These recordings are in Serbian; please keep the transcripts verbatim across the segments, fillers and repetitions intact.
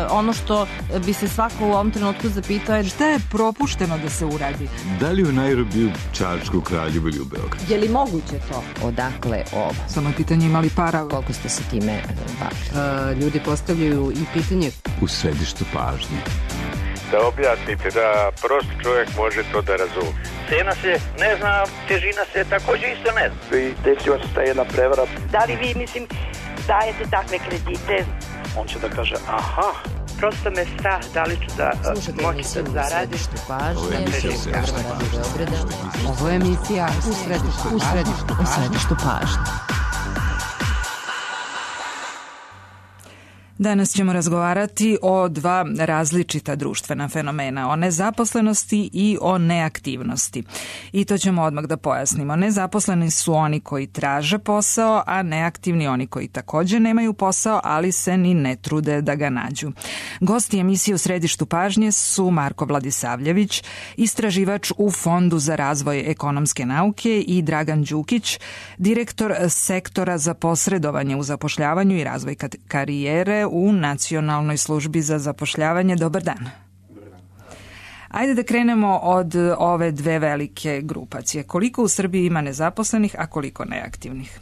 ono što bi se svako u ovom trenutku zapitao je šta je propušteno da se uradi? Da li u Nairobiju, Čačku, Kraljevu ili u Beogradu? Je li moguće to? Odakle ovo? Samo je pitanje imali para. Koliko ste se time bavili? Ljudi postavljaju i pitanje. U središtu pažnje. Da objasnite, da prost čovjek može to da razumije. Cena se ne zna, težina se takođe isto ne zna. I desila se ta jedna prevara. Da li vi, mislim, dajete takve kredite? On će da kaže, aha. Prosto me strah, da li ću da moći da zaradim. Ovo je emisija Ovo je emisija u središtu, u središtu, u središtu pažnje. Danas ćemo razgovarati o dva različita društvena fenomena, o nezaposlenosti i o neaktivnosti. I to ćemo odmah da pojasnimo. Nezaposleni su oni koji traže posao, a neaktivni oni koji takođe nemaju posao, ali se ni ne trude da ga nađu. Gosti emisije u središtu pažnje su Marko Vladisavljević, istraživač u Fondu za razvoj ekonomske nauke, i Dragan Đukić, direktor sektora za posredovanje u zapošljavanju i razvoj karijere u Nacionalnoj službi za zapošljavanje. Dobar dan. Dobar dan. Ajde da krenemo od ove dve velike grupacije. Koliko u Srbiji ima nezaposlenih, a koliko neaktivnih?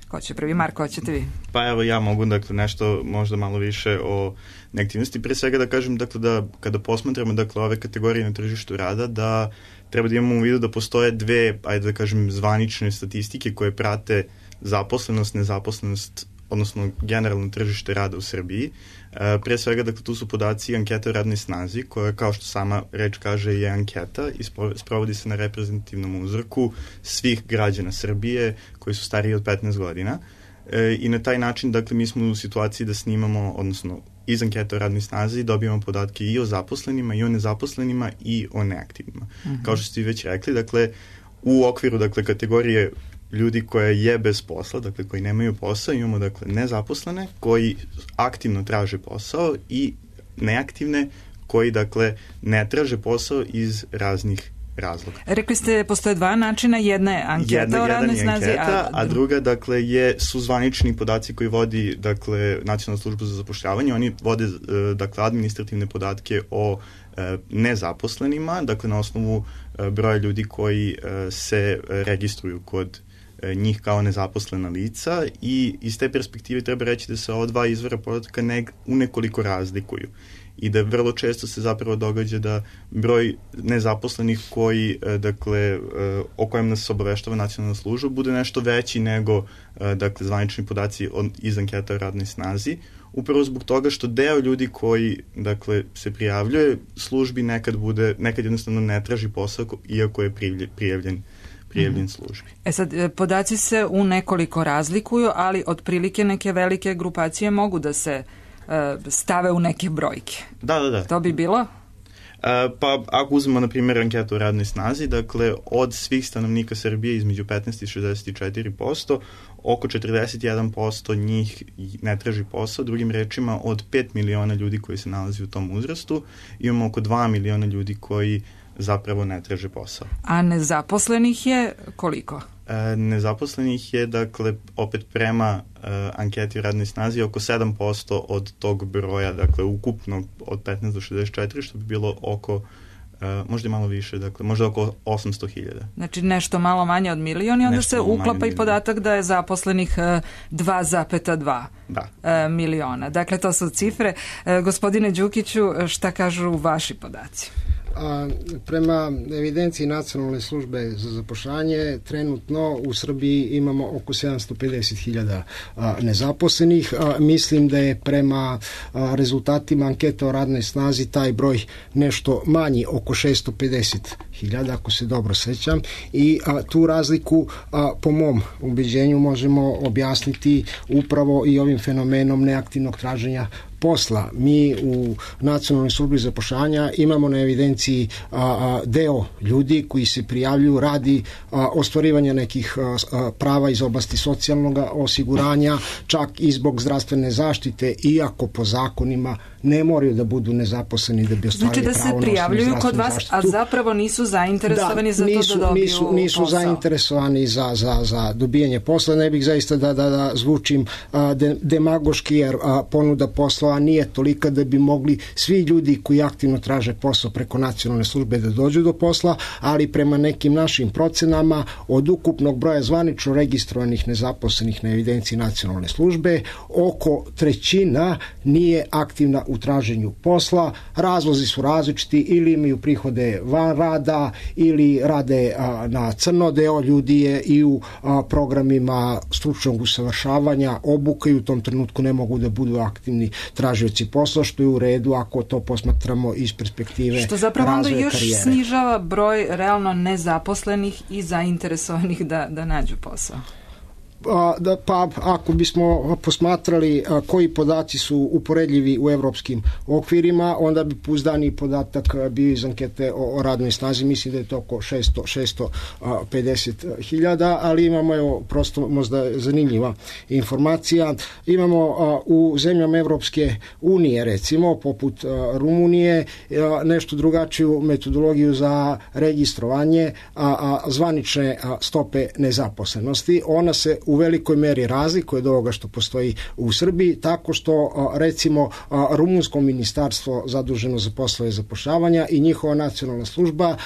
Ko će prvi? Marko, hoćete vi? Pa evo ja mogu dakle nešto možda malo više o neaktivnosti. Pre svega da kažem dakle da kada posmatramo dakle ove kategorije na tržištu rada, da treba da imamo u vidu da postoje dve, ajde da kažem, zvanične statistike koje prate zaposlenost, nezaposlenost, odnosno generalno tržište rada u Srbiji. E, pre svega, dakle, tu su podaci ankete o radnoj snazi, koja, kao što sama reč kaže, je anketa i sprovodi se na reprezentativnom uzorku svih građana Srbije koji su stariji od petnaest godina. E, I na taj način, dakle, mi smo u situaciji da snimamo, odnosno iz ankete o radnoj snazi dobijamo podatke i o zaposlenima, i o nezaposlenima, i o neaktivnima. Mm-hmm. Kao što ste već rekli, dakle, u okviru, dakle, kategorije ljudi koja je bez posla, dakle koji nemaju posao, imamo dakle nezaposlene koji aktivno traže posao i neaktivne koji dakle ne traže posao iz raznih razloga. Rekli ste postoje dva načina, jedna je anketa jedna, o radnoj snazi, anketa, a... a druga dakle je su zvanični podaci koji vodi dakle Nacionalna služba za zapošljavanje. Oni vode dakle administrativne podatke o nezaposlenima, dakle na osnovu broja ljudi koji se registruju kod njih kao nezaposlena lica, i iz te perspektive treba reći da se ova dva izvora podatka ne, u nekoliko razlikuju i da vrlo često se zapravo događa da broj nezaposlenih koji, dakle, o kojem nas obaveštava nacionalna služba bude nešto veći nego dakle, zvanični podaci iz anketa o radnoj snazi, upravo zbog toga što deo ljudi koji dakle, se prijavljuje službi nekad bude, nekad jednostavno ne traži posao iako je prijavljen prijavljen službi. E sad, podaci se u nekoliko razlikuju, ali otprilike neke velike grupacije mogu da se uh, stave u neke brojke. Da, da, da. To bi bilo? Uh, pa ako uzmemo, na primjer, anketu o radnoj snazi, dakle, od svih stanovnika Srbije između petnaest i šezdeset četiri posto, oko četrdeset jedan posto njih ne traži posao. Drugim rečima, od pet miliona ljudi koji se nalazi u tom uzrastu, imamo oko dva miliona ljudi koji zapravo ne traže posao. A nezaposlenih je koliko? E, nezaposlenih je, dakle, opet prema e, anketi o radnoj snazi oko sedam posto od tog broja, dakle, ukupno od petnaest do šezdeset četiri, što bi bilo oko, e, možda malo više, dakle, možda oko osamsto hiljada. Znači nešto malo manje od milion i onda nešto se uklapa i podatak da je zaposlenih dva zarez dva da. e, miliona. Dakle, to su cifre. E, gospodine Đukiću, šta kažu vaši podaci? A, prema evidenciji Nacionalne službe za zapošljavanje, trenutno u Srbiji imamo oko sedamsto pedeset hiljada nezaposlenih. A, mislim da je prema a, rezultatima ankete o radnoj snazi taj broj nešto manji, oko šesto pedeset hiljada, ako se dobro sećam. I a, tu razliku, a, po mom ubeđenju, možemo objasniti upravo i ovim fenomenom neaktivnog traženja posla. Mi u Nacionalnoj službi zapošljavanja imamo na evidenciji a, a, deo ljudi koji se prijavljuju radi a, ostvarivanja nekih a, a, prava iz oblasti socijalnog osiguranja, čak i zbog zdravstvene zaštite, iako po zakonima ne moraju da budu nezaposleni da bi ostvarili pravo na osnovnu zdravstvenu zaštitu. Znači da se prijavljuju kod vas, zaštitu. A zapravo nisu zainteresovani da, za nisu, to da dobiju nisu, nisu posao. zainteresovani za, za, za dobijanje posla. Ne bih zaista da, da, da zvučim a, de, demagoški, jer a, ponuda posla poslova nije tolika da bi mogli svi ljudi koji aktivno traže posao preko nacionalne službe da dođu do posla, ali prema nekim našim procenama od ukupnog broja zvanično registrovanih nezaposlenih na evidenciji nacionalne službe, oko trećina nije aktivna u traženju posla. Razlozi su različiti, ili imaju prihode van rada, ili rade a, na crno. Deo ljudi je i u a, programima stručnog usavršavanja, obuka, i u tom trenutku ne mogu da budu aktivni tražioci posla, što je u redu ako to posmatramo iz perspektive razvoja karijere. Što zapravo onda još karijere. Snižava broj realno nezaposlenih i zainteresovanih da, da nađu posao. Da, pa ako bismo posmatrali a, koji podaci su uporedljivi u evropskim okvirima, onda bi pouzdani podatak bio iz ankete o, o radnoj snazi. Mislim da je to oko šesto pedeset hiljada, ali imamo, evo, prosto možda zanimljiva informacija. Imamo a, u zemljama Evropske unije, recimo, poput a, Rumunije, a, nešto drugačiju metodologiju za registrovanje a, a, zvanične a, stope nezaposlenosti. Ona se u velikoj meri razlikuje od ovoga što postoji u Srbiji, tako što recimo rumunsko ministarstvo zaduženo za poslove zapošljavanja i njihova nacionalna služba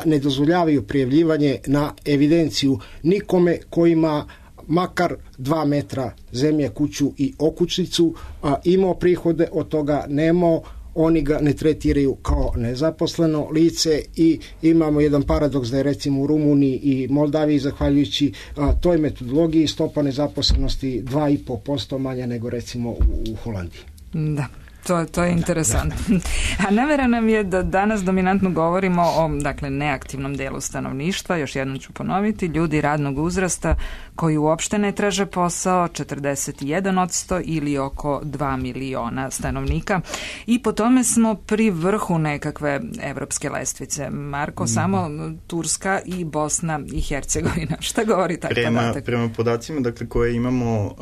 ne dozvoljavaju prijavljivanje na evidenciju nikome ko ima makar dva metra zemlje, kuću i okućnicu, imao prihode, od toga nemao, oni ga ne tretiraju kao nezaposleno lice, i imamo jedan paradoks da je recimo u Rumuniji i Moldaviji, zahvaljujući a, toj metodologiji, stopa nezaposlenosti dva i po posto manja nego recimo u, u Holandiji. Da. To, to je interesantno. Da, da. A namera nam je da danas dominantno govorimo o, dakle, neaktivnom delu stanovništva, još jednom ću ponoviti, ljudi radnog uzrasta koji uopšte ne traže posao, četrdeset jedan posto ili oko dva miliona stanovnika, i po tome smo pri vrhu nekakve evropske lestvice. Marko, mm. samo Turska i Bosna i Hercegovina. Šta govori taj prema, podatak? Prema podacima, dakle, koje imamo, uh,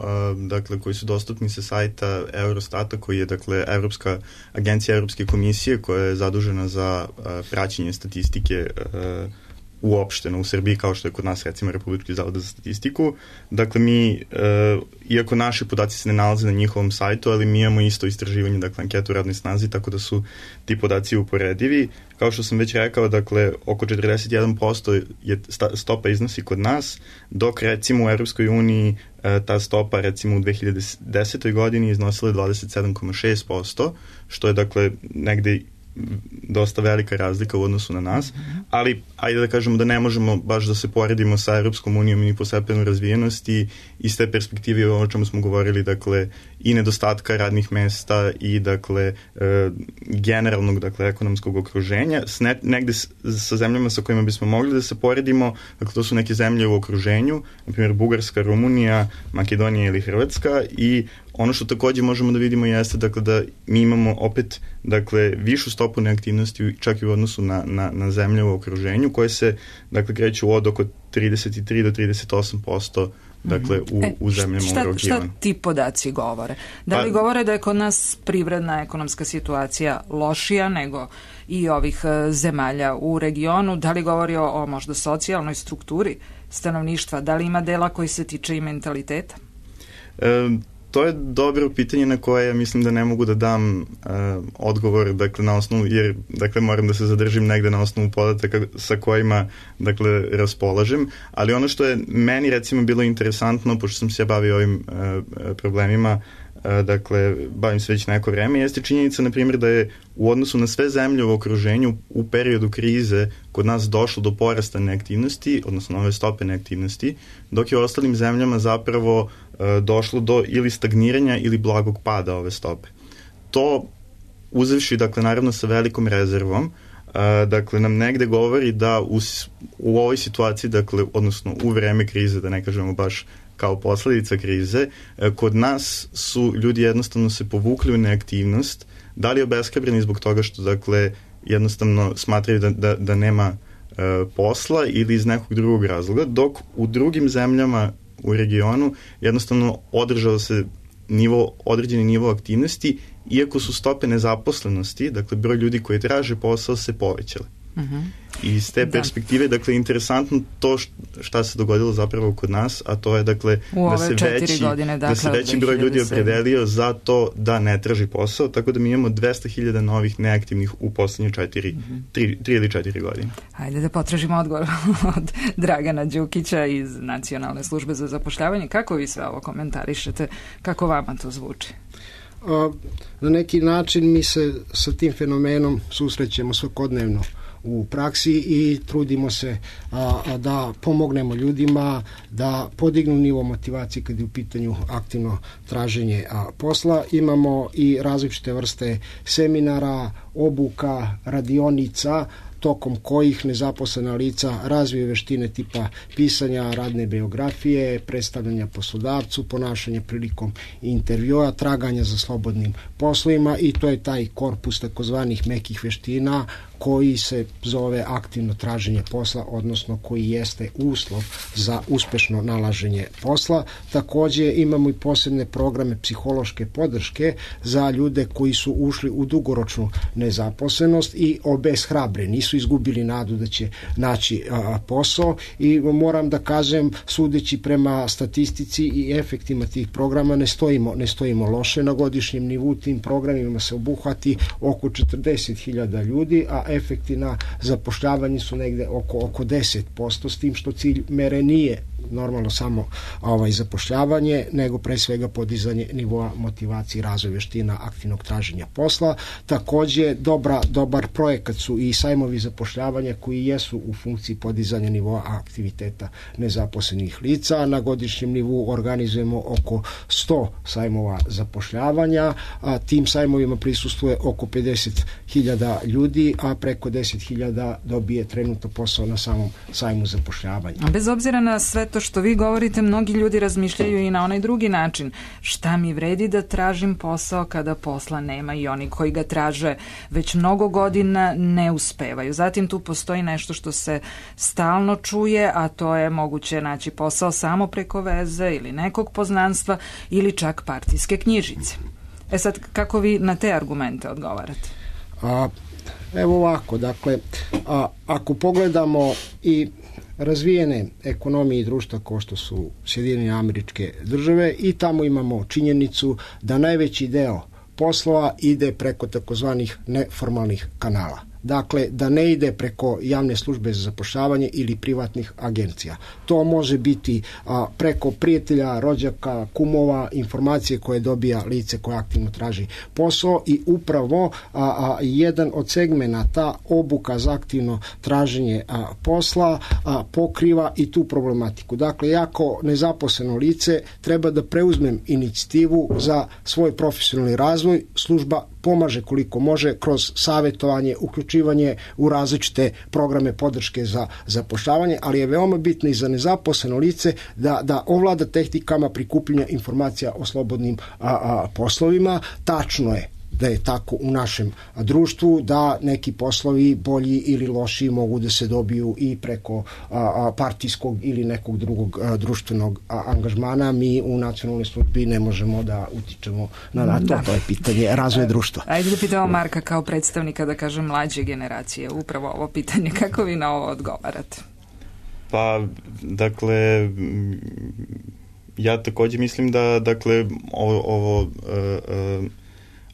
dakle, koji su dostupni sa sajta Eurostata, koji je, dakle, Evropska agencija Evropske komisije koja je zadužena za uh, praćenje statistike uh, uopšteno u Srbiji, kao što je kod nas recimo Republički zavod za statistiku. Dakle, mi, uh, iako naši podaci se ne nalaze na njihovom sajtu, ali mi imamo isto istraživanje, dakle, anketu u radnoj snazi, tako da su ti podaci uporedivi. Kao što sam već rekao, dakle, oko četrdeset jedan posto je stopa iznosi kod nas, dok recimo u Evropskoj uniji ta stopa recimo u dve hiljade desetoj godini iznosila je dvadeset sedam zarez šest posto, što je, dakle, negde dosta velika razlika u odnosu na nas, ali ajde da kažemo da ne možemo baš da se poredimo sa Europskom unijom i po stepenu razvijenosti, iz te perspektive o čemu smo govorili, dakle, i nedostatka radnih mesta i, dakle, e, generalnog, dakle, ekonomskog okruženja, s ne, negde s, sa zemljama sa kojima bismo mogli da se poredimo, dakle, to su neke zemlje u okruženju, na primjer Bugarska, Rumunija, Makedonija ili Hrvatska, i ono što takođe možemo da vidimo jeste, dakle, da mi imamo opet, dakle, višu stopu neaktivnosti čak i u odnosu na, na, na zemlje u okruženju, koje se, dakle, kreću od oko trideset tri do trideset osam posto, dakle, u, e, u zemljama šta, u regionu. Šta ti podaci govore? Da li pa, govore da je kod nas privredna ekonomska situacija lošija nego i ovih zemalja u regionu? Da li govori o, o možda socijalnoj strukturi stanovništva? Da li ima dela koji se tiče i mentaliteta? E, To je dobro pitanje na koje ja mislim da ne mogu da dam uh, odgovor, dakle, na osnovu, jer, dakle, moram da se zadržim negde na osnovu podataka sa kojima, dakle, raspolažem, ali ono što je meni, recimo, bilo interesantno, pošto sam se ja bavio ovim uh, problemima, uh, dakle, bavim se već neko vreme, jeste činjenica, na primjer, da je u odnosu na sve zemlje u okruženju u periodu krize kod nas došlo do porasta neaktivnosti, odnosno nove stope neaktivnosti, dok je u ostalim zemljama zapravo došlo do ili stagniranja ili blagog pada ove stope. To, uzevši, dakle, naravno sa velikom rezervom, dakle, nam negde govori da u, u ovoj situaciji, dakle, odnosno u vreme krize, da ne kažemo baš kao posledica krize, kod nas su ljudi jednostavno se povukli u neaktivnost, da li obeshrabreni zbog toga što, dakle, jednostavno smatraju da, da, da nema e, posla ili iz nekog drugog razloga, dok u drugim zemljama u regionu jednostavno održao se nivo, određeni nivo aktivnosti, iako su stope nezaposlenosti, dakle broj ljudi koji traže posao, se povećale. Uh-huh. I iz te perspektive, da. dakle, interesantno to šta se dogodilo zapravo kod nas, a to je, dakle, da se veći, godine, dakle, da se veći broj ljudi opredelio za to da ne traži posao, tako da mi imamo dvesta hiljada novih neaktivnih u poslednje četiri, uh-huh. tri, tri ili četiri godine. Hajde da potražimo odgovor od Dragana Đukića iz Nacionalne službe za zapošljavanje. Kako vi sve ovo komentarišete? Kako vama to zvuči? Na neki način mi se sa tim fenomenom susrećemo svakodnevno u praksi i trudimo se a, a da pomognemo ljudima da podignu nivo motivacije kad je u pitanju aktivno traženje a, posla. Imamo i različite vrste seminara, obuka, radionica, tokom kojih nezaposlena lica razviju veštine tipa pisanja radne biografije, predstavljanja poslodavcu, ponašanja prilikom intervjua, traganja za slobodnim poslovima i to je taj korpus takozvanih mekih veština koji se zove aktivno traženje posla, odnosno koji jeste uslov za uspešno nalaženje posla. Takođe imamo i posebne programe psihološke podrške za ljude koji su ušli u dugoročnu nezaposlenost i obeshrabreni, nisu izgubili nadu da će naći a, posao i moram da kažem, sudeći prema statistici i efektima tih programa ne stojimo, ne stojimo loše. Na godišnjem nivou tim programima se obuhvati oko četrdeset hiljada ljudi, a efekti na zapošljavanje su negde oko, oko deset posto, s tim što cilj mere nije normalno samo ovaj, zapošljavanje, nego pre svega podizanje nivoa motivacije i razvoj veština aktivnog traženja posla. Takođe, dobra, dobar projekat su i sajmovi zapošljavanja koji jesu u funkciji podizanja nivoa aktiviteta nezaposlenih lica. Na godišnjem nivou organizujemo oko sto sajmova zapošljavanja, a tim sajmovima prisustuje oko pedeset hiljada ljudi, a preko deset hiljada dobije trenutno posao na samom sajmu zapošljavanja. A bez obzira na sve to što vi govorite, mnogi ljudi razmišljaju i na onaj drugi način. Šta mi vredi da tražim posao kada posla nema, i oni koji ga traže već mnogo godina ne uspevaju. Zatim tu postoji nešto što se stalno čuje, a to je moguće naći posao samo preko veze ili nekog poznanstva ili čak partijske knjižice. E sad, kako vi na te argumente odgovarate? A, evo ovako, dakle, a, ako pogledamo i razvijene ekonomije i društva kao što su Sjedinjene Američke Države, i tamo imamo činjenicu da najveći deo poslova ide preko takozvanih neformalnih kanala. Dakle, da ne ide preko javne službe za zapošljavanje ili privatnih agencija. To može biti a, preko prijatelja, rođaka, kumova, informacije koje dobija lice koje aktivno traži posao, i upravo a, a, jedan od segmenata obuka za aktivno traženje a, posla a, pokriva i tu problematiku. Dakle, jako nezaposleno lice treba da preuzmem inicijativu za svoj profesionalni razvoj, služba pomaže koliko može kroz savjetovanje, uključivanje u različite programe podrške za zapošljavanje, ali je veoma bitno i za nezaposleno lice da, da ovlada tehnikama prikupljanja informacija o slobodnim a, a, poslovima. Tačno je da je tako u našem društvu, da neki poslovi bolji ili lošiji mogu da se dobiju i preko a, a, partijskog ili nekog drugog a, društvenog a, angažmana. Mi u nacionalnoj službi ne možemo da utičemo na, na to, da. To je pitanje razvoja društva. Ajde da pitamo Marka kao predstavnika, da kažem, mlađe generacije, upravo ovo pitanje, kako vi na ovo odgovarate? Pa, dakle, ja takođe mislim da, dakle, ovo, ovo uh, uh,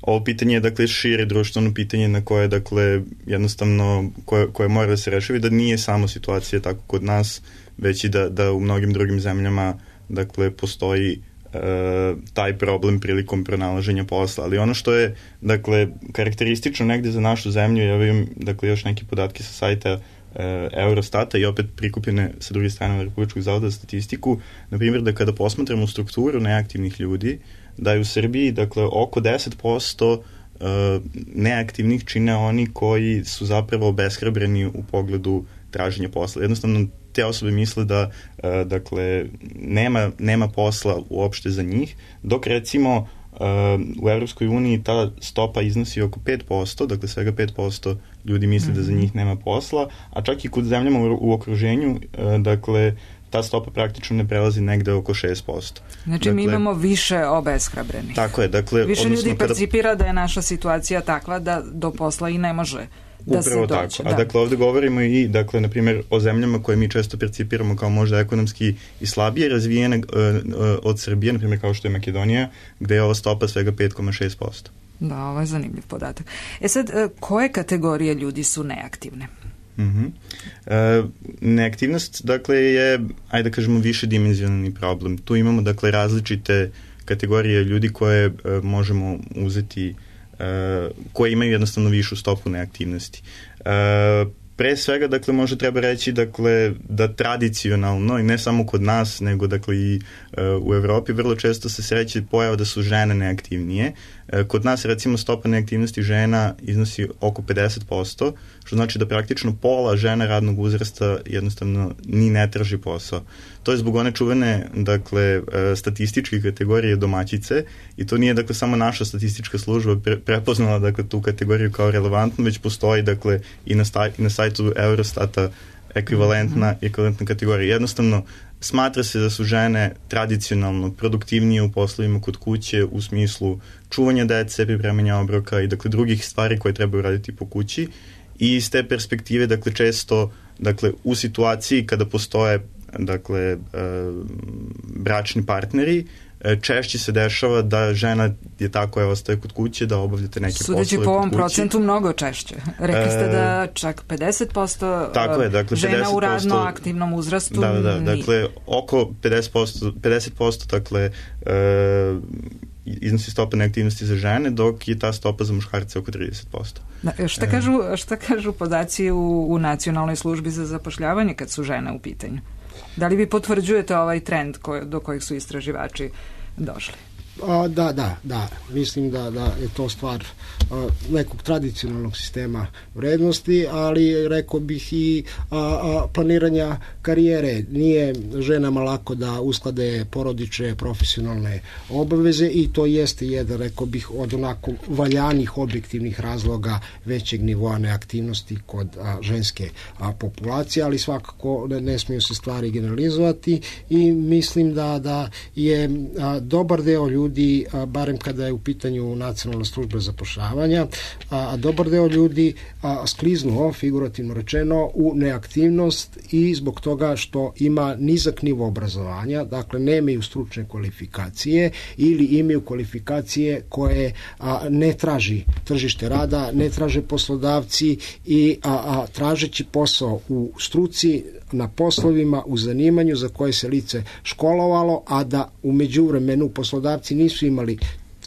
Ovo pitanje je, dakle, šire društveno pitanje na koje, dakle, jednostavno, koje, koje mora da se rešavi, da nije samo situacija tako kod nas, već i da, da u mnogim drugim zemljama, dakle, postoji e, taj problem prilikom pronalaženja posla. Ali ono što je, dakle, karakteristično negde za našu zemlju, ja vidim, dakle, još neke podatke sa sajta e, Eurostata i opet prikupljene sa druge strane Republičkog zavoda za statistiku, na primjer, da kada posmatramo strukturu neaktivnih ljudi, da je u Srbiji, dakle, oko deset posto uh, neaktivnih čine oni koji su zapravo obeshrabreni u pogledu traženja posla. Jednostavno, te osobe misle da, uh, dakle, nema, nema posla uopšte za njih, dok, recimo, uh, u Evropskoj uniji ta stopa iznosi oko pet posto, dakle, svega pet posto ljudi misle mm-hmm. da za njih nema posla, a čak i kod zemljama u, u okruženju, uh, dakle, ta stopa praktično ne prelazi negde oko šest posto. Znači, dakle, mi imamo više obeshrabrenih. Tako je, dakle... Više ljudi percipira kada... da je naša situacija takva da do posla i ne može da Upravo se dođe. tako. A da. Dakle, ovde govorimo i, dakle, na primjer, o zemljama koje mi često percipiramo kao možda ekonomski i slabije razvijene uh, uh, od Srbije, na primjer kao što je Makedonija, gde je ova stopa svega pet zarez šest posto. Da, ovo je zanimljiv podatak. E sad, koje kategorije ljudi su neaktivne? Mm-hmm. E, neaktivnost, dakle, je, ajde da kažemo, višedimenzionalni problem. Tu imamo, dakle, različite kategorije ljudi koje e, možemo uzeti, e, koje imaju jednostavno višu stopu neaktivnosti. E, pre svega, dakle, možda treba reći, dakle, da tradicionalno, i ne samo kod nas, nego, dakle, i e, u Evropi vrlo često se sreće pojava da su žene neaktivnije. E, kod nas, recimo, stopa neaktivnosti žena iznosi oko pedeset posto, što znači da praktično pola žena radnog uzrasta jednostavno ni ne traži posao. To je zbog one čuvene, dakle, statističke kategorije domaćice, i to nije, dakle, samo naša statistička služba pre, prepoznala, dakle, tu kategoriju kao relevantnu, već postoji, dakle, i na, sta, i na sajtu Eurostata ekvivalentna, mm-hmm. ekvivalentna kategorija. Jednostavno, smatra se da su žene tradicionalno produktivnije u poslovima kod kuće u smislu čuvanja dece, pripremanja obroka i, dakle, drugih stvari koje trebaju raditi po kući. I iz te perspektive, dakle, često, dakle, u situaciji kada postoje, dakle, e, bračni partneri, e, češće se dešava da žena je tako, je ostaje kod kuće, da obavljate neke poslove kod kuće. Sudeći po ovom procentu mnogo češće. Rekli ste da čak pedeset posto tako je, dakle, žena pedeset posto, u radno aktivnom uzrastu. Da, da, da, dakle, oko pedeset posto, pedeset posto, dakle, e, iznosi stopa neaktivnosti za žene, dok je ta stopa za muškarce oko trideset posto. Da, šta, kažu, šta kažu podaci u, u Nacionalnoj službi za zapošljavanje kad su žene u pitanju? Da li vi potvrđujete ovaj trend koj, do kojeg su istraživači došli? A, da, da, da. Mislim da, da je to stvar a, nekog tradicionalnog sistema vrednosti, ali rekao bih i a, a, planiranja karijere. Nije ženama lako da usklade porodične, profesionalne obaveze i to jeste jedan, rekao bih, od onako valjanih objektivnih razloga većeg nivoa neaktivnosti kod a, ženske a, populacije, ali svakako ne, ne smiju se stvari generalizovati i mislim da, da je a, dobar deo ljudi ljudi, a, barem kada je u pitanju Nacionalna služba zapošljavanja, a, a dobar deo ljudi a, skliznuo, figurativno rečeno, u neaktivnost i zbog toga što ima nizak nivo obrazovanja, dakle nemaju stručne kvalifikacije ili imaju kvalifikacije koje a, ne traži tržište rada, ne traže poslodavci i a, a, tražeći posao u struci, na poslovima, u zanimanju za koje se lice školovalo, a da u međuvremenu poslodavci nisu imali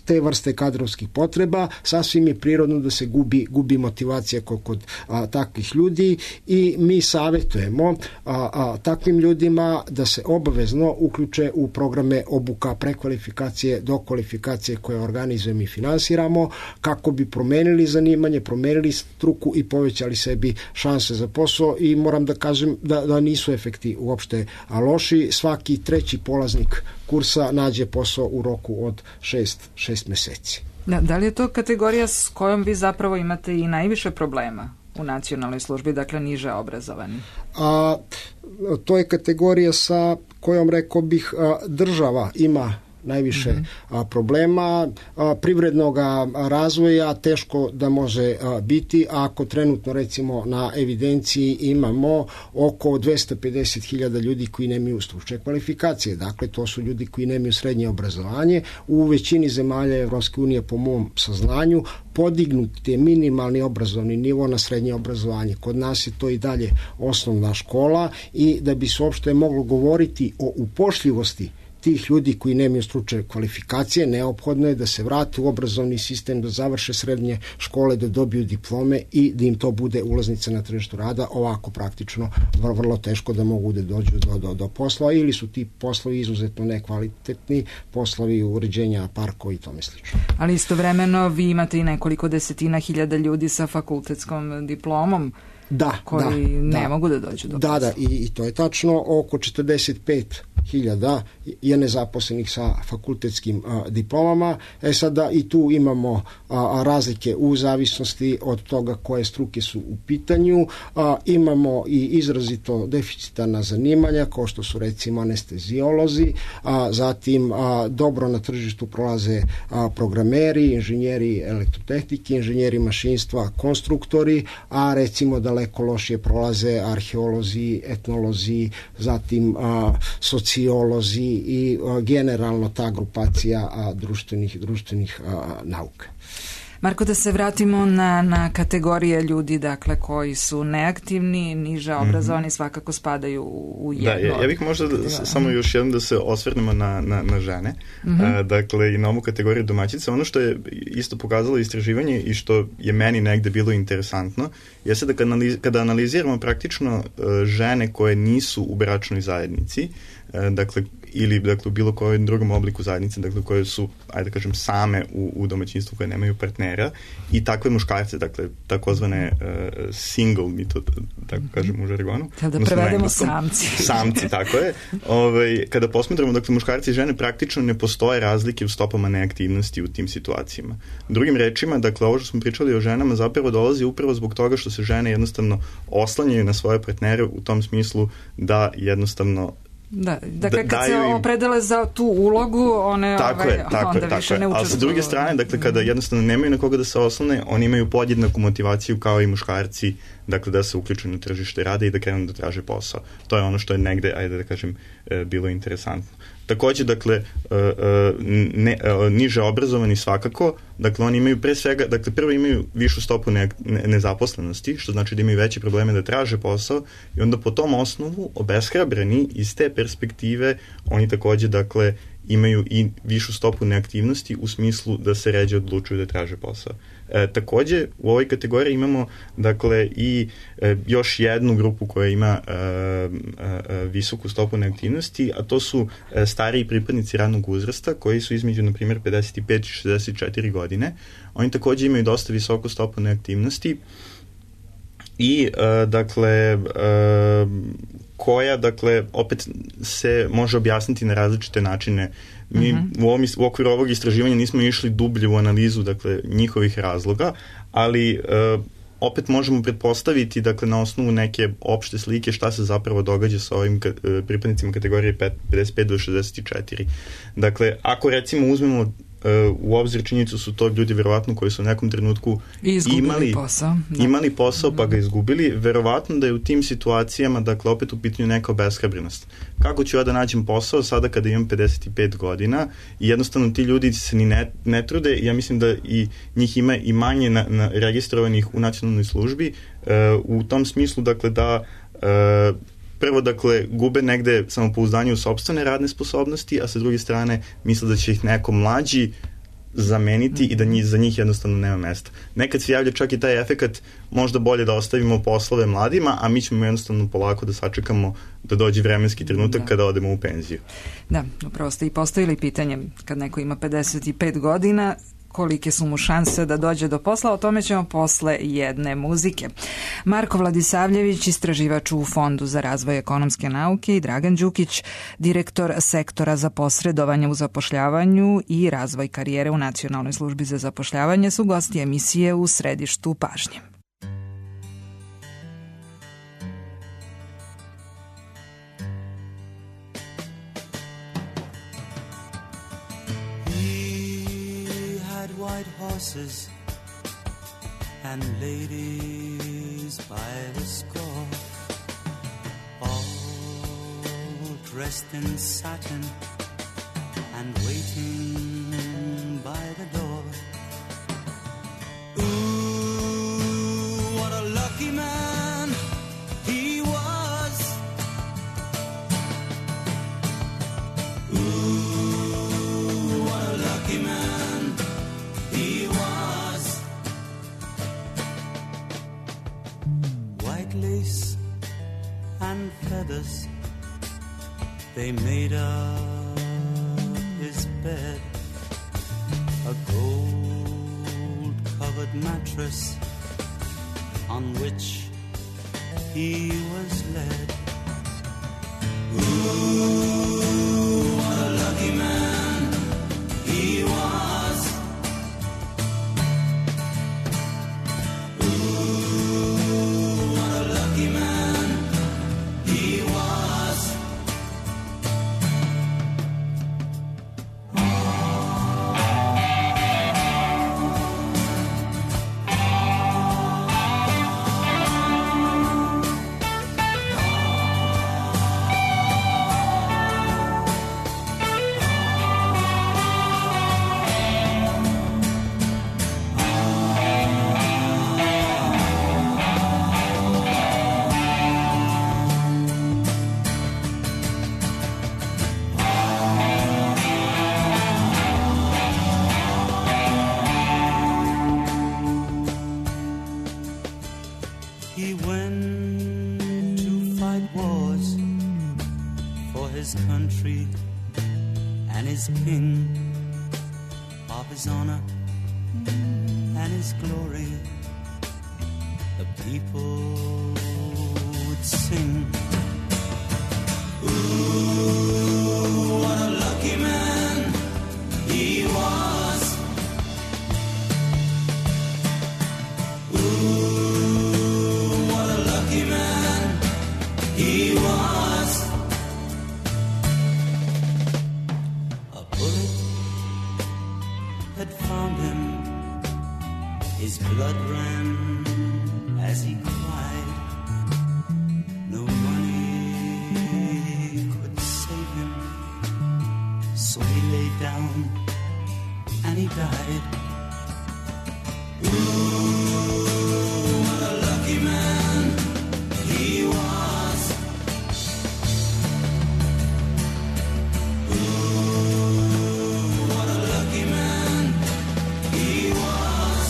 te vrste kadrovskih potreba, sasvim je prirodno da se gubi, gubi motivacija kod, kod a, takvih ljudi i mi savjetujemo a, a, takvim ljudima da se obavezno uključe u programe obuka, prekvalifikacije, dokvalifikacije koje organizujemo i finansiramo kako bi promenili zanimanje, promenili struku i povećali sebi šanse za posao i moram da kažem da, da nisu efekti uopšte loši. Svaki treći polaznik kursa nađe posao u roku od šest, šest meseci. Da, da li je to kategorija s kojom vi zapravo imate i najviše problema u Nacionalnoj službi, dakle niže obrazovani? A, to je kategorija sa kojom, rekao bih, država ima najviše mm-hmm. a, problema a, privrednog razvoja teško da može a, biti ako trenutno recimo na evidenciji imamo oko dvesta pedeset hiljada ljudi koji nemaju stručne kvalifikacije. Dakle, to su ljudi koji nemaju srednje obrazovanje. U većini zemalja Evropske unije, po mom saznanju, podignut je minimalni obrazovni nivo na srednje obrazovanje. Kod nas je to i dalje osnovna škola i da bi se uopšte moglo govoriti o upošljivosti tih ljudi koji nemaju stručne kvalifikacije, neophodno je da se vrate u obrazovni sistem, da završe srednje škole, da dobiju diplome i da im to bude ulaznica na tržištu rada. Ovako praktično vrlo, vrlo teško da mogu da dođu do, do, do posla ili su ti poslovi izuzetno nekvalitetni, poslovi uređenja parkova i tome slično. Ali istovremeno vi imate i nekoliko desetina hiljada ljudi sa fakultetskom diplomom da, koji da, ne da. mogu da dođu do da, posla. Da, i, i to je tačno. Oko četrdeset pet hiljada je nezaposlenih sa fakultetskim a, diplomama. E sada i tu imamo a, razlike u zavisnosti od toga koje struke su u pitanju. A, imamo i izrazito deficitarna zanimanja, kao što su recimo anestezijolozi, a, zatim a, dobro na tržištu prolaze a, programeri, inženjeri elektrotehnike, inženjeri mašinstva, konstruktori, a recimo daleko lošije prolaze arheolozi, etnolozi, zatim a, sociolozi i a, generalno ta grupacija a, društvenih, društvenih a, nauka. Marko, da se vratimo na, na kategorije ljudi, dakle, koji su neaktivni, niže obrazovani, mm-hmm. svakako spadaju u jedno. Da, ja, ja bih možda da, samo još jednom da se osvrnemo na, na, na žene, mm-hmm. a, dakle, i na ovu kategoriju domaćica. Ono što je isto pokazalo istraživanje i što je meni negde bilo interesantno, jeste da kada, analiz, kada analiziramo praktično a, žene koje nisu u bračnoj zajednici, a, dakle, ili dakle, u bilo kojem drugom obliku zajednice, dakle, koje su, ajde da kažem, same u, u domaćinstvu, koje nemaju partnera, i takve muškarce, dakle, takozvane uh, single, mi to tako kažemo u žargonu. Kada prevedemo samci. Samci, tako je. Ove, kada posmetramo, dakle, muškarci i žene, praktično ne postoje razlike u stopama neaktivnosti u tim situacijama. Drugim rečima, dakle, ovo što smo pričali o ženama zapravo dolazi upravo zbog toga što se žene jednostavno oslanjaju na svoje partnere u tom smislu da jednostavno Da, dakle, kad se opredele za tu ulogu, one tako ovaj, je, tako onda je, više tako ne učestvuju. Ali sa druge strane, dakle, kada jednostavno nemaju na koga da se oslone, oni imaju podjednaku motivaciju kao i muškarci, dakle, da se uključuju na tržište rada i da krenu da traže posao. To je ono što je negde, ajde da kažem, bilo interesantno. Takođe, dakle, ne, niže obrazovani svakako, dakle, oni imaju pre svega, dakle, prvo imaju višu stopu ne, ne, nezaposlenosti, što znači da imaju veće probleme da traže posao, i onda po tom osnovu, obeshrabreni iz te perspektive, oni takođe, dakle, imaju i višu stopu neaktivnosti u smislu da se ređe odlučuju da traže posao. E, takođe, u ovoj kategoriji imamo, dakle, i e, još jednu grupu koja ima e, e, visoku stopu neaktivnosti, a to su e, stariji pripadnici radnog uzrasta, koji su između, na primjer, pedeset pet i šezdeset četiri godine. Oni takođe imaju dosta visoku stopu neaktivnosti i, e, dakle, e, koja, dakle, opet se može objasniti na različite načine. Mi uh-huh. u, ovom, u okviru ovog istraživanja nismo išli dublje u analizu, dakle, njihovih razloga, ali uh, opet možemo pretpostaviti, dakle, na osnovu neke opšte slike šta se zapravo događa sa ovim ka, uh, pripadnicima kategorije pedeset pet do šezdeset četiri. Dakle, ako recimo uzmemo uh, u obzir činjenicu su to ljudi verovatno koji su u nekom trenutku imali posao, da. imali posao pa ga izgubili, verovatno da je u tim situacijama, dakle, opet u pitanju neka obeshrabrenost. Kako ću ja da nađem posao sada kada imam pedeset pet godina, i jednostavno ti ljudi se ni ne, ne trude, i ja mislim da i njih ima i manje na, na registrovanih u nacionalnoj službi, uh, u tom smislu, dakle, da uh, prvo, dakle, gube negde samopouzdanje u sopstvene radne sposobnosti, a sa druge strane misle da će ih neko mlađi zameniti i da njih, za njih jednostavno nema mesta. Nekad se javlja čak i taj efekat, možda bolje da ostavimo poslove mladima, a mi ćemo jednostavno polako da sačekamo da dođe vremenski trenutak da. kada odemo u penziju. Da, upravo ste i postavili pitanje, kad neko ima pedeset pet godina, kolike su mu šanse da dođe do posla, o tome ćemo posle jedne muzike. Marko Vladisavljević, istraživač u Fondu za razvoj ekonomske nauke, i Dragan Đukić, direktor sektora za posredovanje u zapošljavanju i razvoj karijere u Nacionalnoj službi za zapošljavanje, su gosti emisije U središtu pažnje. Horses and ladies by the score, all dressed in satin and waiting by the door. Ooh, what a lucky man he was. Ooh, what a lucky man he was. White lace and feathers, they made up his bed. A gold-covered mattress on which he was led. Ooh, what a lucky man he was. Ooh, what a lucky man he was. He went to fight wars for his country and his king, of his honor and his glory. The people would sing. Ooh, what a lucky man he was. Ooh, he was. A bullet had found him. His blood ran as he cried. No money could save him, so he lay down and he died. Ooh, what a lucky man he was. Ooh, what a lucky man he was.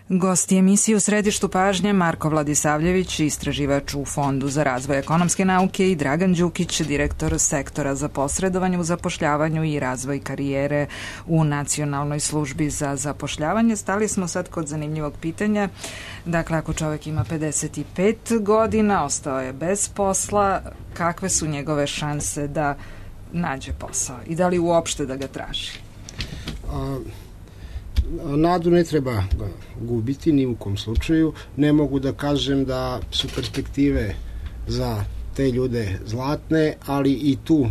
Gosti emisije u središtu pažnje Marko Vladisavljević, istraživač u Fondu za razvoj ekonomske nauke, i Dragan Đukić, direktor sektora za posredovanje u zapošljavanju i razvoj karijere u Nacionalnoj službi za zapošljavanje. Stali smo sad kod zanimljivog pitanja. Dakle, ako čovjek ima pedeset pet godina, ostao je bez posla, kakve su njegove šanse da nađe posao i da li uopšte da ga traži? A... Nadu ne treba gubiti ni u kom slučaju. Ne mogu da kažem da su perspektive za te ljude zlatne, ali i tu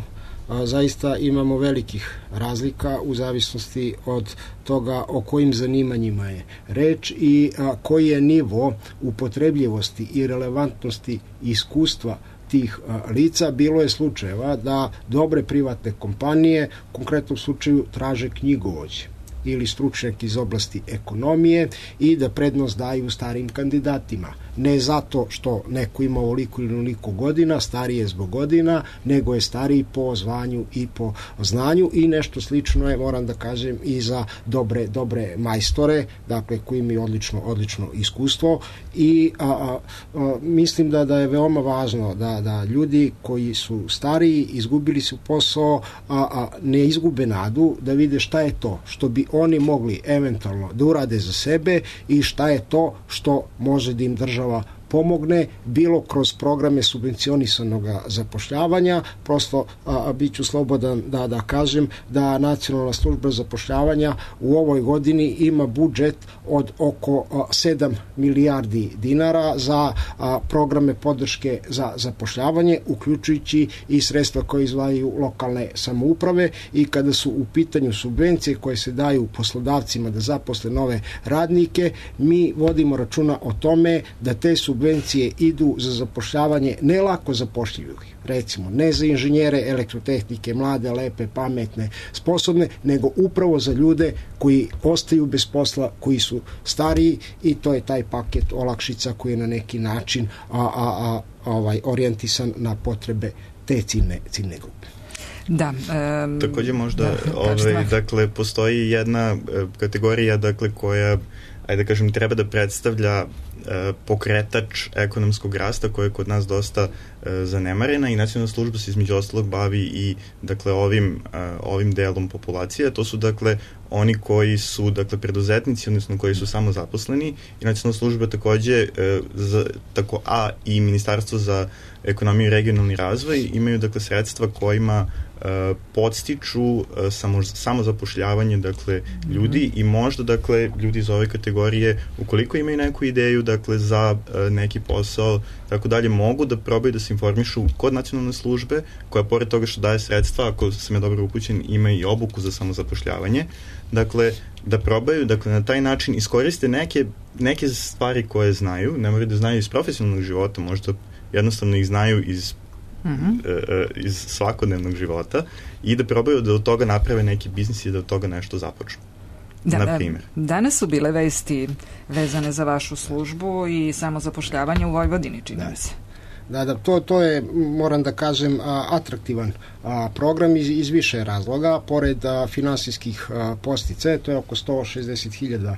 a, zaista imamo velikih razlika u zavisnosti od toga o kojim zanimanjima je reč i a, koji je nivo upotrebljivosti i relevantnosti iskustva tih a, lica. Bilo je slučajeva da dobre privatne kompanije u konkretnom slučaju traže knjigovođe ili stručnjak iz oblasti ekonomije i da prednost daju starim kandidatima. Ne zato što neko ima ovoliko ili onoliko godina, stariji je zbog godina, nego je stariji po zvanju i po znanju i nešto slično je, moram da kažem, i za dobre, dobre majstore, dakle, koji imaju odlično, odlično iskustvo i a, a, a, mislim da, da je veoma važno da, da ljudi koji su stariji, izgubili su posao, a, a ne izgube nadu, da vide šta je to što bi oni mogli eventualno da urade za sebe i šta je to što može da im država pomogne, bilo kroz programe subvencionisanog zapošljavanja, prosto a, a, bit ću slobodan da, da kažem da Nacionalna služba zapošljavanja u ovoj godini ima budžet od oko a, sedam milijardi dinara za a, programe podrške za zapošljavanje, uključujući i sredstva koje izdvajaju lokalne samouprave i kada su u pitanju subvencije koje se daju poslodavcima da zaposle nove radnike, mi vodimo računa o tome da te subvencije subvencije idu za zapošljavanje ne lako zapošljivih, recimo ne za inženjere elektrotehnike, mlade, lepe, pametne, sposobne, nego upravo za ljude koji ostaju bez posla, koji su stariji i to je taj paket olakšica koji je na neki način a, a, a, ovaj, orijentisan na potrebe te ciljne, ciljne grupe. Da. Um, Takođe možda, da, ovaj, dakle, postoji jedna kategorija, dakle, koja, ajde da kažem, treba da predstavlja pokretač ekonomskog rasta koja je kod nas dosta e, zanemarena i Nacionalna služba se između ostalog bavi i dakle ovim, e, ovim delom populacije. To su dakle oni koji su dakle preduzetnici, odnosno koji su samozaposleni i Nacionalna služba takođe e, za, tako, a i Ministarstvo za ekonomiju i regionalni razvoj imaju dakle sredstva kojima e, podstiču e, samo, samozapošljavanje dakle ljudi mm-hmm. i možda dakle ljudi iz ove kategorije ukoliko imaju neku ideju dakle za e, neki posao tako dalje mogu da probaju da se informišu kod nacionalne službe koja pored toga što daje sredstva, ako sam ja dobro upućen, ima i obuku za samozapošljavanje, dakle da probaju, dakle na taj način iskoriste neke, neke stvari koje znaju, ne moraju da znaju iz profesionalnog života, možda jednostavno ih znaju iz Mm-hmm. iz svakodnevnog života i da probaju da od toga naprave neki biznis i da od toga nešto započnu. Da, na primjer. Danas su bile vesti vezane za vašu službu i samozapošljavanje u Vojvodini, čini mi se. Da, da, to, to je, moram da kažem, atraktivan program iz, iz više razloga. Pored a, finansijskih a, postice, to je oko sto šezdeset hiljada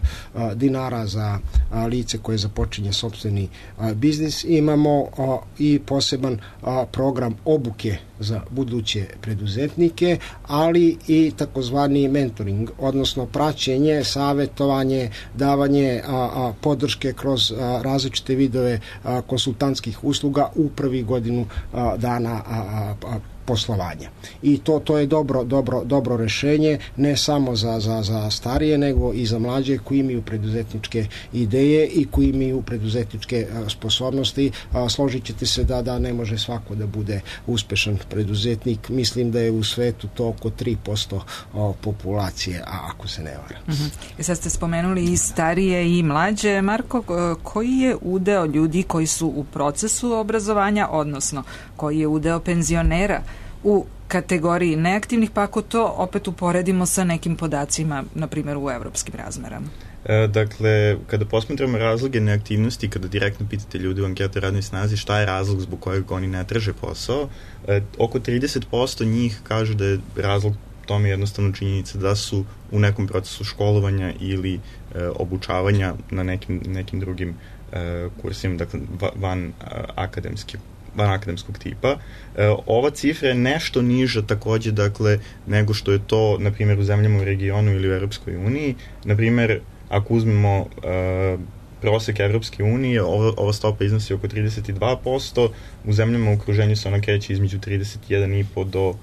dinara za a, lice koje započinje sopstveni a, biznis. Imamo a, i poseban a, program obuke za buduće preduzetnike, ali i takozvani mentoring, odnosno praćenje, savetovanje, davanje a, a, podrške kroz a, različite vidove a, konsultantskih usluga u prvi godinu a, dana a, a, a, poslovanja. I to to je dobro dobro dobro rešenje ne samo za za za starije nego i za mlađe koji imaju preduzetničke ideje i koji imaju preduzetničke a, sposobnosti. A, složićete se da da ne može svako da bude uspešan preduzetnik. Mislim da je u svetu to oko tri posto a, populacije, a ako se ne varam. Uh-huh. I sad ste spomenuli i starije i mlađe. Marko, koji je udeo ljudi koji su u procesu obrazovanja, odnosno koji je udeo penzionera u kategoriji neaktivnih, pa ako to opet uporedimo sa nekim podacima, na primjer u evropskim razmerama? E, dakle, kada posmatramo razloge neaktivnosti, kada direktno pitate ljudi u anketi radnoj snazi šta je razlog zbog kojeg oni ne traže posao, e, oko trideset posto njih kaže da je razlog tome jednostavno činjenica da su u nekom procesu školovanja ili e, obučavanja na nekim, nekim drugim e, kursima, dakle van a, akademski van akademskog tipa. E, ova cifra je nešto niža takođe, dakle, nego što je to, na primjer, u zemljama u regionu ili u Evropskoj uniji. Na primjer, ako uzmemo e, prosek Evropske unije, ova, ova stopa iznosi oko trideset dva posto, u zemljama u okruženju se ona kreće između trideset jedan i po do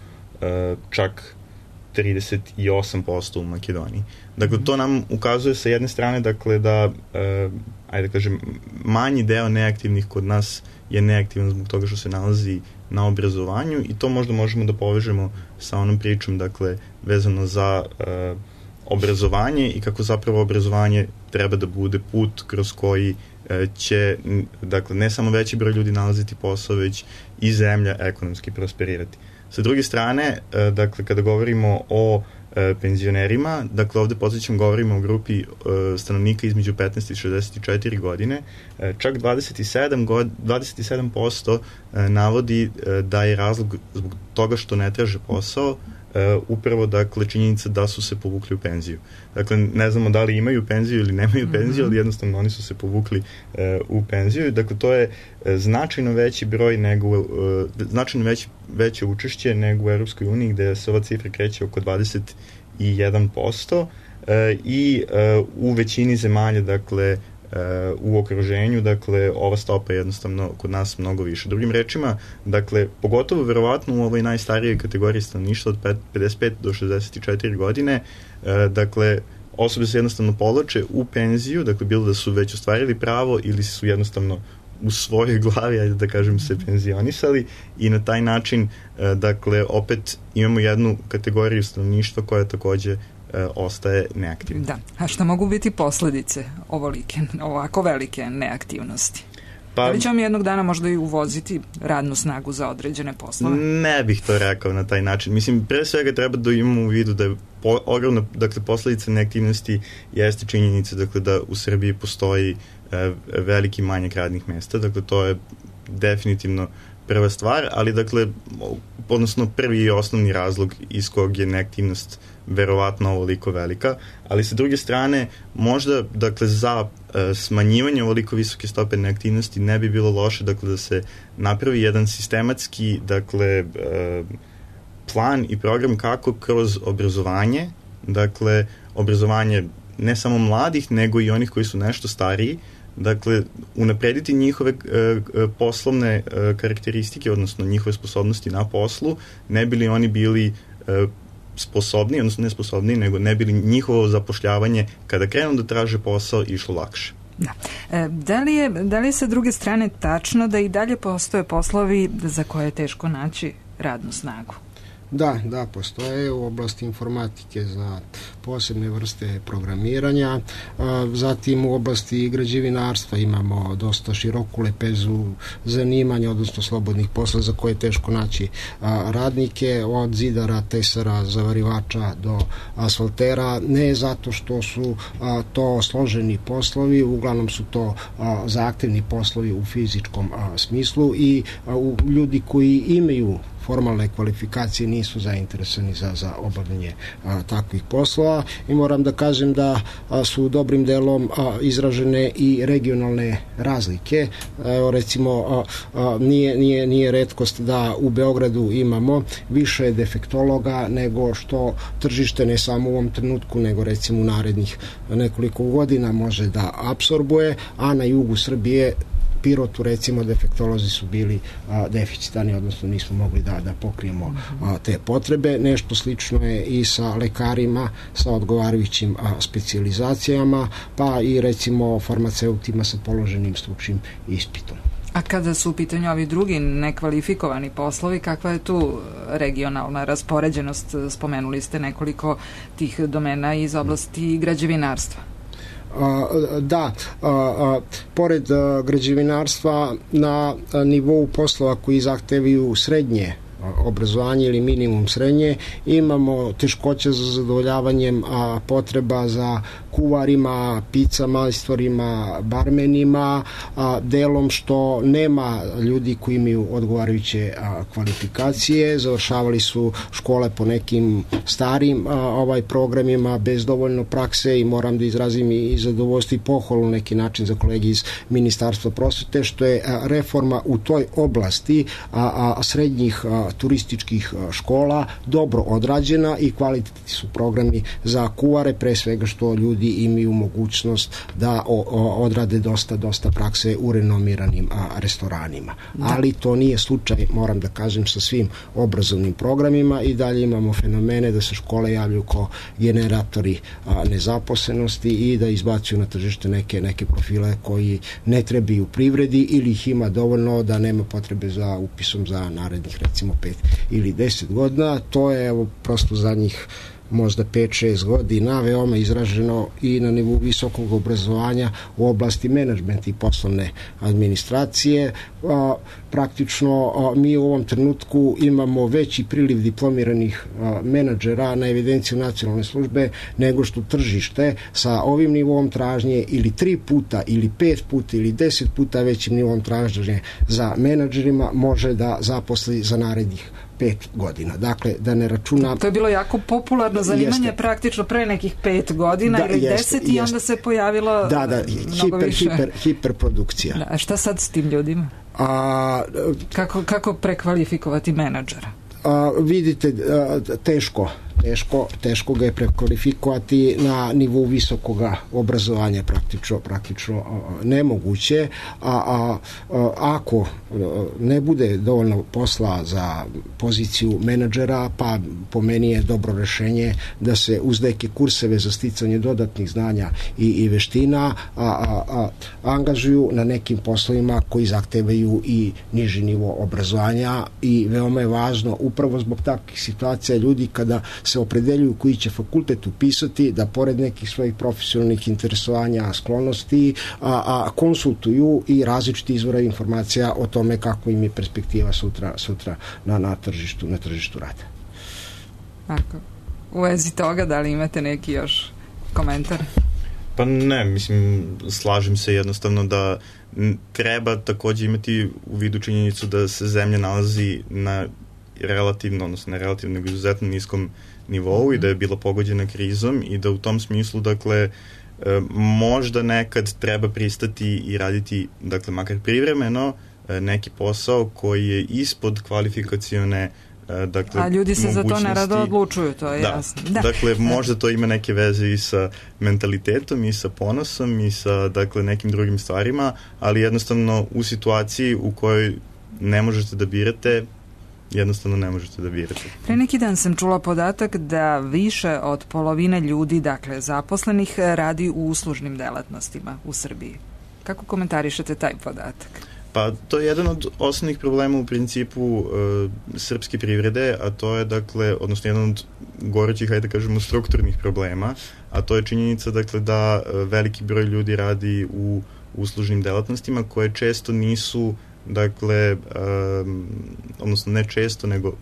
e, čak trideset osam posto u Makedoniji. Dakle, to nam ukazuje sa jedne strane, dakle, da, e, ajde da kažem, manji deo neaktivnih kod nas je neaktivan zbog toga što se nalazi na obrazovanju i to možda možemo da povežemo sa onom pričom, dakle, vezano za e, obrazovanje i kako zapravo obrazovanje treba da bude put kroz koji e, će, dakle, ne samo veći broj ljudi nalaziti posao, već i zemlja ekonomski prosperirati. Sa druge strane, dakle, kada govorimo o penzionerima, dakle ovde podsjećam govorimo o grupi stanovnika između petnaest i šezdeset četiri godine, čak dvadeset sedam posto navodi da je razlog zbog toga što ne traže posao Uh, upravo, dakle, činjenica da su se povukli u penziju. Dakle, ne znamo da li imaju penziju ili nemaju mm-hmm. penziju, ali jednostavno oni su se povukli uh, u penziju. Dakle, to je uh, značajno veći broj nego, uh, značajno veći, veće učešće nego u Europskoj uniji, gde se ova cifra kreće oko dvadeset jedan posto uh, i uh, u većini zemalja, dakle, u okruženju, dakle, ova stopa je jednostavno kod nas mnogo više. Drugim rečima, dakle, pogotovo verovatno u ovoj najstarijoj kategoriji stanovništva od pedeset pet do šezdeset četiri godine, dakle, osobe se jednostavno povlače u penziju, dakle, bilo da su već ostvarili pravo ili su jednostavno u svojoj glavi, ajde da kažem, se penzionisali i na taj način, dakle, opet imamo jednu kategoriju stanovništva koja takođe ostaje neaktivna. Da, a šta mogu biti posledice ovolike, ovako velike neaktivnosti? Pa, da li ćemo jednog dana možda i uvoziti radnu snagu za određene poslove? Ne bih to rekao na taj način. Mislim, pre svega treba da imamo u vidu da je po, ogromna, dakle, posledica neaktivnosti jeste činjenica, dakle, da u Srbiji postoji e, veliki manjak radnih mesta, dakle, to je definitivno prva stvar, ali, dakle, odnosno prvi i osnovni razlog iz kog je neaktivnost verovatno ovoliko velika, ali sa druge strane možda, dakle, za e, smanjivanje ovoliko visoke stope neaktivnosti ne bi bilo loše, dakle, da se napravi jedan sistematski, dakle, e, plan i program kako kroz obrazovanje, dakle, obrazovanje ne samo mladih, nego i onih koji su nešto stariji, dakle, unaprediti njihove e, poslovne e, karakteristike, odnosno njihove sposobnosti na poslu, ne bi li oni bili e, sposobni, odnosno ne sposobni, nego ne bi li njihovo zapošljavanje kada krenu da traže posao išlo lakše. Da. E, da, li je, da li je sa druge strane tačno da i dalje postoje poslovi za koje je teško naći radnu snagu? Da, da, postoje u oblasti informatike za posebne vrste programiranja, zatim u oblasti građevinarstva imamo dosta široku lepezu zanimanja, odnosno slobodnih posla za koje je teško naći radnike, od zidara, tesara, zavarivača do asfaltera, ne zato što su to složeni poslovi, uglavnom su to zahtevni poslovi u fizičkom smislu i ljudi koji imaju formalne kvalifikacije nisu zainteresovani za, za obavljanje a, takvih poslova i moram da kažem da a, su dobrim delom a, izražene i regionalne razlike. Evo, recimo a, a, nije, nije, nije retkost da u Beogradu imamo više defektologa nego što tržište ne samo u ovom trenutku, nego recimo u narednih nekoliko godina može da apsorbuje, a na jugu Srbije Pirotu, recimo, defektolozi su bili a, deficitani, odnosno nismo mogli da, da pokrijemo a, te potrebe. Nešto slično je i sa lekarima, sa odgovarajućim a, specijalizacijama, pa i recimo farmaceutima sa položenim stručnim ispitom. A kada su u pitanju ovi drugi nekvalifikovani poslovi, kakva je tu regionalna raspoređenost? Spomenuli ste nekoliko tih domena iz oblasti građevinarstva. Da, pored građevinarstva na nivou poslova koji zahtevaju srednje obrazovanje ili minimum srednje, imamo teškoće za zadovoljavanjem a, potreba za kuvarima, pica majstorima, barmenima, a, delom što nema ljudi koji imaju odgovarajuće a, kvalifikacije, završavali su škole po nekim starim a, ovaj programima bez dovoljno prakse i moram da izrazim i zadovoljstvo i pohvalu na neki način za kolegi iz Ministarstva prosvete, što je a, reforma u toj oblasti a, a srednjih a, turističkih škola dobro odrađena i kvalitetni su programi za kuvare, pre svega što ljudi imaju mogućnost da o, o, odrade dosta, dosta prakse u renomiranim a, restoranima. Da. Ali to nije slučaj, moram da kažem, sa svim obrazovnim programima i dalje imamo fenomene da se škole javljaju kao generatori a, nezaposlenosti i da izbacuju na tržište neke, neke profile koji ne trebaju privredi ili ih ima dovoljno da nema potrebe za upisom za narednih recimo pet ili deset godina. To je evo prosto zadnjih možda pet šest godina, veoma izraženo i na nivou visokog obrazovanja u oblasti menadžmenta i poslovne administracije. A, praktično a, mi u ovom trenutku imamo veći priliv diplomiranih a, menadžera na evidenciju nacionalne službe nego što tržište sa ovim nivom tražnje ili tri puta ili pet puta ili deset puta većim nivom tražnje za menadžerima može da zaposli za narednih pet godina. Dakle, da ne računa... To je bilo jako popularno zanimanje jeste. Praktično pre nekih pet godina da, ili jeste, deset i jeste. Onda se pojavilo da, da, mnogo hiper, više. Hiper, hiperprodukcija. Da, a šta sad s tim ljudima? A, kako, kako prekvalifikovati menadžera? A, vidite, a, teško teško, teško ga je prekvalifikovati na nivou visokog obrazovanja, praktično, praktično a, nemoguće, a, a, a ako ne bude dovoljno posla za poziciju menadžera, pa po meni je dobro rešenje da se uz neke kurseve za sticanje dodatnih znanja i, i veština a, a, a, angažuju na nekim poslovima koji zahtevaju i niži nivo obrazovanja i veoma je važno upravo zbog takvih situacija ljudi kada se opredeljuju koji će fakultet upisati, da pored nekih svojih profesionalnih interesovanja, sklonosti, a, a konsultuju i različiti izvora informacija o tome kako im je perspektiva sutra, sutra na, na tržištu, na tržištu rada. Ako, u vezi toga, da li imate neki još komentar? Pa ne, mislim, slažem se jednostavno da treba takođe imati u vidu činjenicu da se zemlja nalazi na relativno, odnosno ne relativno, nego izuzetno niskom nivou i da je bila pogođena krizom i da u tom smislu, dakle, možda nekad treba pristati i raditi, dakle, makar privremeno, neki posao koji je ispod kvalifikacione, dakle, a ljudi se mogućnosti. Za to nerado odlučuju, to je da. jasno. Da. Dakle, možda to ima neke veze i sa mentalitetom i sa ponosom i sa, dakle, nekim drugim stvarima, ali jednostavno u situaciji u kojoj ne možete da birate, jednostavno ne možete da birate. Pre neki dan sam čula podatak da više od polovine ljudi, dakle zaposlenih, radi u uslužnim delatnostima u Srbiji. Kako komentarišete taj podatak? Pa to je jedan od osnovnih problema u principu e, srpske privrede, a to je, dakle, odnosno jedan od gorućih, hajde da kažemo, strukturnih problema, a to je činjenica, dakle, da veliki broj ljudi radi u uslužnim delatnostima koje često nisu, dakle, um, odnosno ne često, nego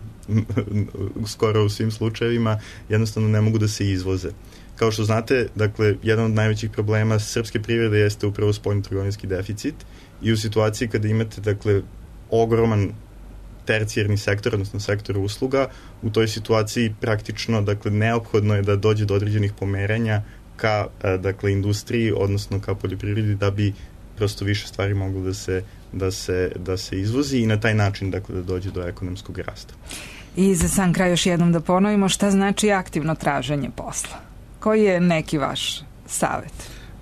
skoro u svim slučajevima jednostavno ne mogu da se izvoze. Kao što znate, dakle, jedan od najvećih problema srpske privrede jeste upravo spoljnotrgovinski deficit i u situaciji kada imate, dakle, ogroman tercijarni sektor, odnosno sektor usluga, u toj situaciji praktično, dakle, neophodno je da dođe do određenih pomeranja ka, dakle, industriji, odnosno ka poljoprivredi, da bi prosto više stvari moglo da se da se, da se izvozi i na taj način, dakle, da dođe do ekonomskog rasta. I za sam kraj još jednom da ponovimo šta znači aktivno traženje posla. Koji je neki vaš savet?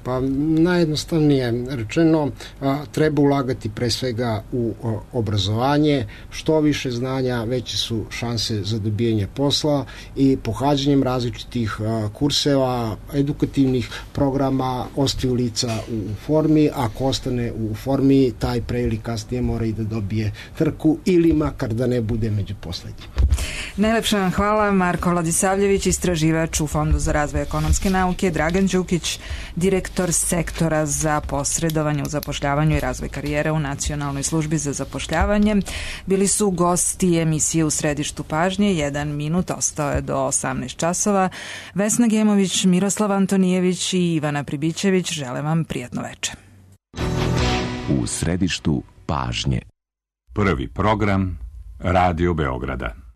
Pa najjednostavnije rečeno, a, treba ulagati pre svega u o, obrazovanje, što više znanja, veće su šanse za dobijanje posla i pohađanjem različitih a, kurseva, edukativnih programa ostaju lica u, u formi, ako ostane u formi, taj pre ili kasnije mora i da dobije trku ili makar da ne bude među poslednjim. Najlepša vam hvala, Marko Vladisavljević, istraživač u Fondu za razvoj ekonomske nauke, Dragan Đukić, direktor sektora za posredovanje u zapošljavanju i razvoj karijere u Nacionalnoj službi za zapošljavanje. Bili su gosti emisije U središtu pažnje, jedan minut ostao je do osamnaest časova. Vesna Gemović, Miroslav Antonijević i Ivana Pribićević žele vam prijatno veče. U središtu pažnje. Prvi program Radio Beograda.